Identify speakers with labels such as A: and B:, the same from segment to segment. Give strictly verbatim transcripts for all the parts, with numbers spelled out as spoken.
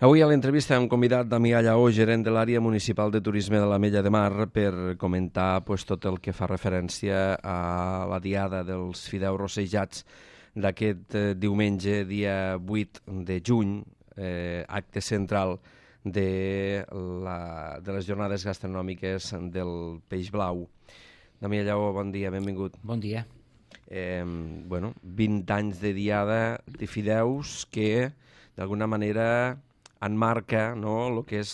A: Avui a l'entrevista hem convidat Damià Lleó, gerent de l'àrea municipal de turisme de l'Ametlla de Mar, per comentar pues, tot el que fa referència a la diada dels fideus rossejats d'aquest eh, diumenge, dia vuit de juny, eh, acte central de, la, de les jornades gastronòmiques del Peix Blau. Damià Lleó, bon dia, benvingut.
B: Bon dia.
A: Eh, bueno, vint anys de diada de fideus que, d'alguna manera, enmarca, no?, el que és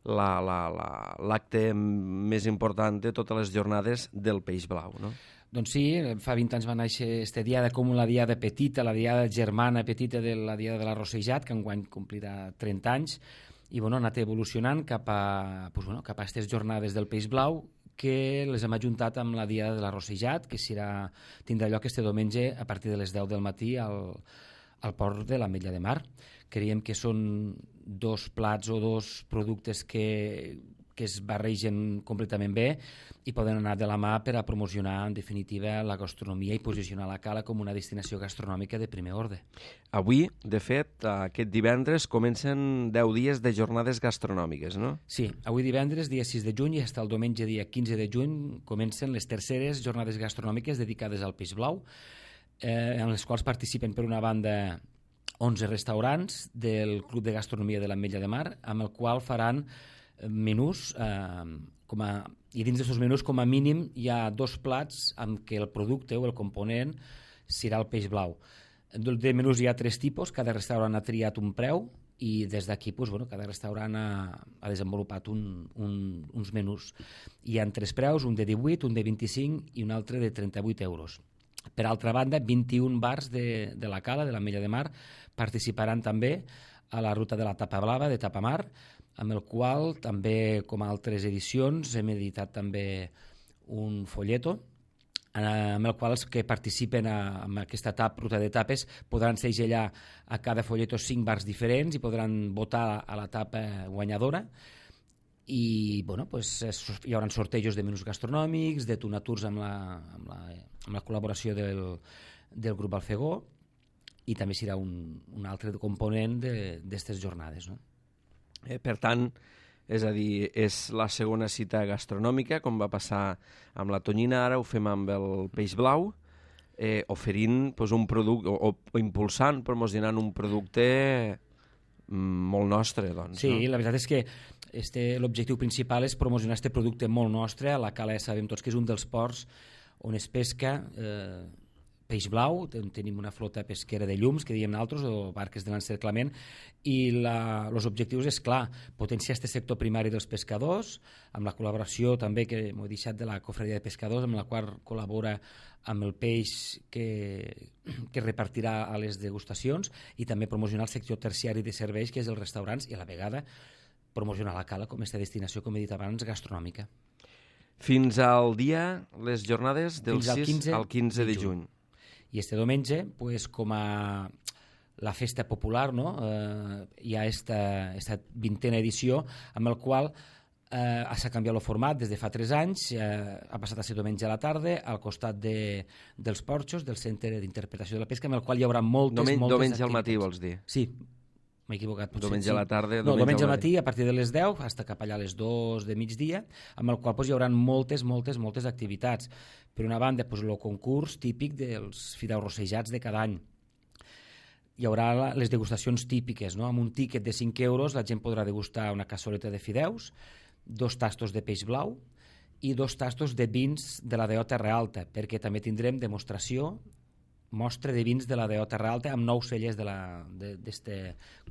A: la, la, la, l'acte més important de totes les jornades del Peix Blau, no?
B: Doncs sí, fa vint anys va néixer aquesta diada com la diada petita, la diada germana petita de la diada de l'Arrossejat, que enguany complirà trenta anys, i bueno, ha anat evolucionant cap a, pues, bueno, cap a aquestes jornades del Peix Blau, que les hem ajuntat amb la diada de l'Arrossejat, que serà, tindrà lloc este diumenge a partir de les deu del matí al, al port de l'Ametlla de Mar. Creiem que són dos plats o dos productes que, que es barregen completament bé i poden anar de la mà per a promocionar, en definitiva, la gastronomia i posicionar la Cala com una destinació gastronòmica de primer ordre.
A: Avui, de fet, aquest divendres comencen deu dies de jornades gastronòmiques, no?
B: Sí, avui divendres, dia sis de juny, i fins el diumenge, dia quinze de juny, comencen les terceres jornades gastronòmiques dedicades al Peix Blau, eh, en les quals participen, per una banda, onze restaurants del Club de Gastronomia de l'Ametlla de Mar, amb el qual faran menús, eh, com a, i dins d'aquests menús, com a mínim, hi ha dos plats amb què el producte o el component serà el peix blau. De menús hi ha tres tipus, cada restaurant ha triat un preu i des d'aquí pues, bueno, cada restaurant ha, ha desenvolupat un, un, uns menús. Hi ha tres preus, un de divuit, un de vint-i-cinc i un altre de trenta-vuit euros. Per altra banda, vint-i-un bars de, de la Cala, de l'Ametlla de Mar, participaran també a la ruta de la Tapa Blava, de Tapamar, amb el qual també, com a altres edicions, hem editat també un folleto, amb el qual els que participen a, en aquesta tap, ruta de tapes podran segellar a cada folleto cinc bars diferents i podran votar a la tapa guanyadora. I bueno, pues, hi haurà sortejos de menús gastronòmics, de tunaturs amb la, amb la, amb la col·laboració del, del grup Alfegó, i també serà un, un altre component d'aquestes jornades, no?
A: Eh, per tant, és a dir, és la segona cita gastronòmica, com va passar amb la tonyina, ara ho fem amb el Peix Blau, eh, oferint pues, un producte, o, o impulsant, promocionant un producte molt nostre, doncs.
B: Sí,
A: no?
B: La veritat és que este, l'objectiu principal és promocionar aquest producte molt nostre. A la Cala ja sabem tots que és un dels ports on es pesca eh, peix blau, tenim una flota pesquera de llums, que diem nosaltres, o barques de l'encerclament, i els objectius és, clar, potenciar aquest sector primari dels pescadors, amb la col·laboració també, que m'ho he deixat, de la Cofradia de Pescadors, amb la qual col·labora amb el peix que, que repartirà a les degustacions, i també promocionar el sector terciari de serveis, que és els restaurants, i a la vegada promocionar la Cala com aquesta destinació, com he dit abans, gastronòmica.
A: Fins al dia, les jornades del
B: Fins al
A: sis
B: quinze
A: al quinze de
B: de
A: juny.
B: juny. I este diumenge, pues, com a la festa popular, no? eh, hi ha esta, esta vintena edició amb el qual eh, s'ha canviat el format des de fa tres anys, eh, ha passat a ser diumenge a la tarda al costat de, dels porxos del Centre d'Interpretació de la Pesca, amb el qual hi haurà moltes,
A: Domen,
B: moltes
A: diumenge
B: activitats.
A: al matí, vols dir?
B: Sí, m'he equivocat. Potser,
A: Diumenge
B: sí.
A: a la tarda,
B: no,
A: diumenge
B: diumenge
A: al
B: al matí, a partir de les deu, fins cap allà a les dues de migdia, amb el qual pues, hi haurà moltes, moltes, moltes activitats. Per una banda, pues, el concurs típic dels fideus rossejats de cada any. Hi haurà les degustacions típiques, no? Amb un tíquet de cinc euros la gent podrà degustar una cassoleta de fideus, dos tastos de peix blau i dos tastos de vins de la D O Terra Alta, perquè també tindrem demostració, mostra de vins de la D O Terra Alta amb nou cellers d'aquest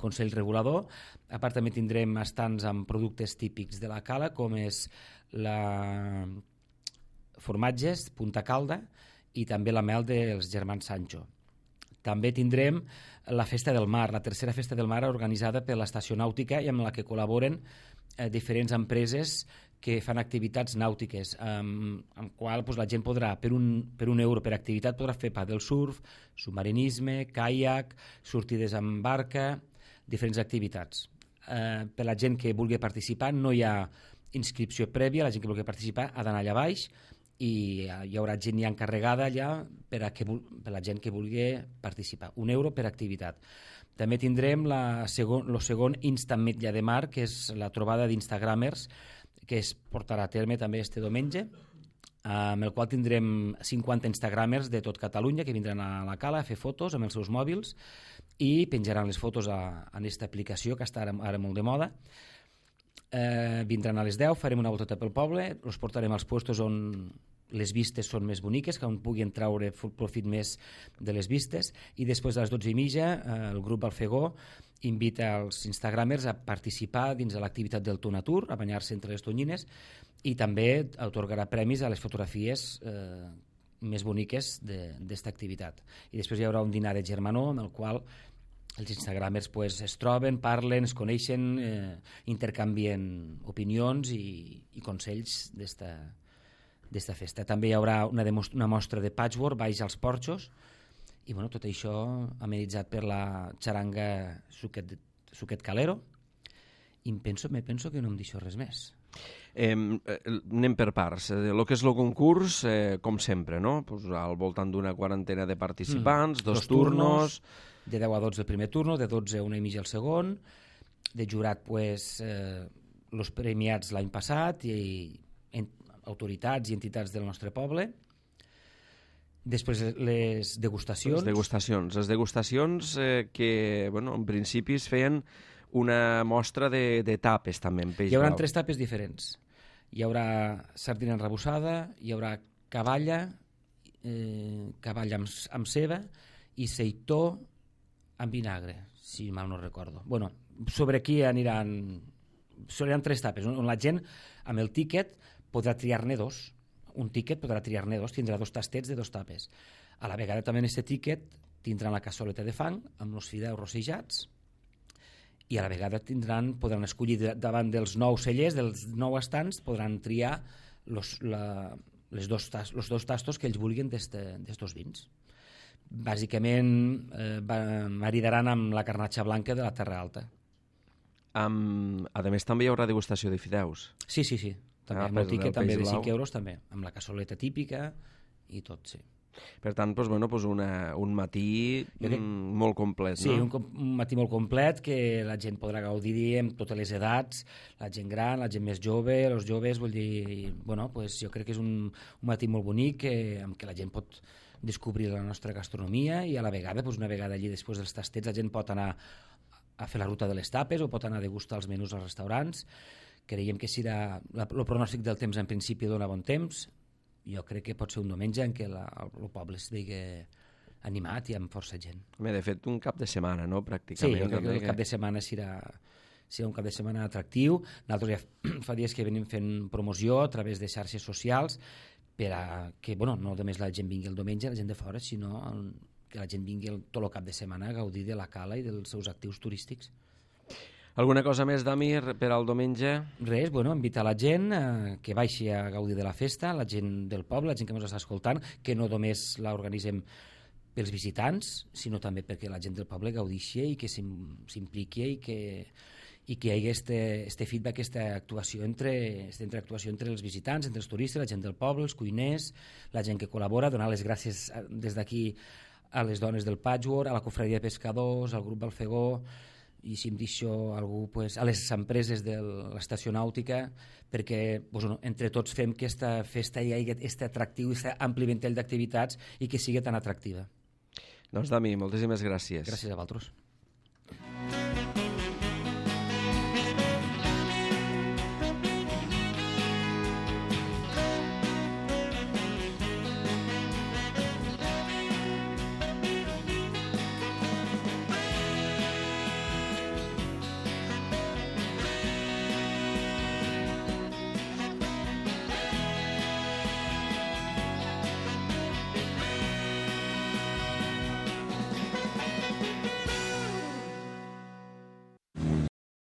B: Consell Regulador. A part també tindrem estants amb productes típics de la Cala, com és la formatges, Punta Calda, i també la mel dels germans Sancho. També tindrem la Festa del Mar, la tercera Festa del Mar organitzada per l'Estació Nàutica i amb la que col·laboren eh, diferents empreses que fan activitats nàutiques, amb, amb qual pues, la gent podrà, per un, per un euro per activitat, podrà fer paddle surf, submarinisme, caiac, sortides amb barca, diferents activitats. Eh, per la gent que vulgui participar no hi ha inscripció prèvia, la gent que vulgui participar ha d'anar allà baix i hi haurà gent ja encarregada allà per a, que, per a la gent que vulgui participar. Un euro per activitat. També tindrem la segon, el segon Instant Metlla de Mar, que és la trobada d'Instagramers, que es portarà a terme també este diumenge, amb el qual tindrem cinquanta Instagramers de tot Catalunya que vindran a la cala a fer fotos amb els seus mòbils i penjaran les fotos a, a aquesta aplicació que està ara, ara molt de moda. Eh, vindran a les deu, farem una volteta pel poble, els portarem als puestos on les vistes són més boniques, que on puguin traure profit més de les vistes, i després a les dotze i mitja eh, el grup Alfegó invita els instagramers a participar dins de l'activitat del Tonatur, a banyar-se entre les tonyines, i també atorgarà premis a les fotografies eh, més boniques d'esta activitat. I després hi haurà un dinar de germanor en el qual els instagramers pues, es troben, parlen, es coneixen, eh, intercanvien opinions i, i consells d'esta d'esta festa. També hi haurà una, una mostra de patchwork baix als porxos i bueno, tot això amenitzat per la xaranga Suquet, Suquet Calero, i em penso, me penso que no em deixo res més.
A: Eh, anem per parts. El que és el concurs, eh, com sempre, no? Pues al voltant d'una quarantena de participants, mm. dos, dos turnos... turnos...
B: De deu a dotze el primer turno, de dotze a una i mitja el segon, de jurat, pues, eh, los premiats l'any passat i en, autoritats i entitats del nostre poble. Després les degustacions.
A: Les degustacions, les degustacions eh, que, bueno, en principi es feien una mostra de, de tapes també en peix
B: blau. Hi haurà
A: blau.
B: tres tapes diferents. Hi haurà sardina enrebuçada, hi haurà cavalla, eh, cavalla amb, amb ceba i seitó amb vinagre, si mal no recordo. Bueno, sobre aquí aniran... Seran tres tapes, on la gent, amb el tíquet, podrà triar-ne dos. Un tíquet podrà triar-ne dos, tindrà dos tastets de dos tapes. A la vegada també en aquest tíquet tindran la cassoleta de fang amb els fideus rossejats i a la vegada tindran, podran escollir davant dels nou cellers, dels nou estants, podran triar los, la, les dos, los dos tastos que ells vulguin d'estos vins. Bàsicament eh, maridaran amb la carnatxa blanca de la Terra Alta.
A: Um, a més també hi haurà degustació de fideus.
B: Sí, sí, sí. També, ah, amb el tiquet també de cinc euros també, amb la cassoleta típica i tot, sí.
A: Per tant, doncs, bueno, doncs una, un matí crec... molt complet,
B: sí,
A: no?
B: Sí, un, un matí molt complet que la gent podrà gaudir amb totes les edats, la gent gran, la gent més jove, els joves, vull dir, bueno, pues jo crec que és un, un matí molt bonic que, amb què la gent pot descobrir la nostra gastronomia i a la vegada, doncs una vegada allí després dels tastets, la gent pot anar a fer la ruta de les tapes o pot anar a degustar els menús als restaurants. Creiem que serà, el pronòstic del temps en principi dona bon temps. Jo crec que pot ser un diumenge en què la, el poble estigui animat i amb força gent.
A: Bé, de fet, un cap de setmana, no?, pràcticament.
B: Sí, jo crec que el cap de setmana serà, serà un cap de setmana atractiu. Nosaltres ja fa dies que venim fent promoció a través de xarxes socials per a que, bueno, no només la gent vingui el diumenge, la gent de fora, sinó que la gent vingui el, tot el cap de setmana a gaudir de la cala i dels seus actius turístics.
A: Alguna cosa més, Dami, per al diumenge?
B: Res, bueno, invitar la gent eh, que baixi a gaudir de la festa, la gent del poble, la gent que ens està escoltant, que no només l'organitzem pels visitants, sinó també perquè la gent del poble gaudixi i que s'impliqui i que, i que hi hagi este, este feedback, aquesta actuació entre, esta interactuació entre els visitants, entre els turistes, la gent del poble, els cuiners, la gent que col·labora, donar les gràcies des d'aquí a les dones del Patchwork, a la cofradia de pescadors, al grup Alfegó, i si em deixo algú, pues, a les empreses de l'estació nàutica, perquè pues, entre tots fem que aquesta festa hi hagi aquest atractiu, aquest ampli ventall d'activitats i que sigui tan atractiva.
A: Doncs, Dami, moltíssimes gràcies.
B: Gràcies a vosaltres.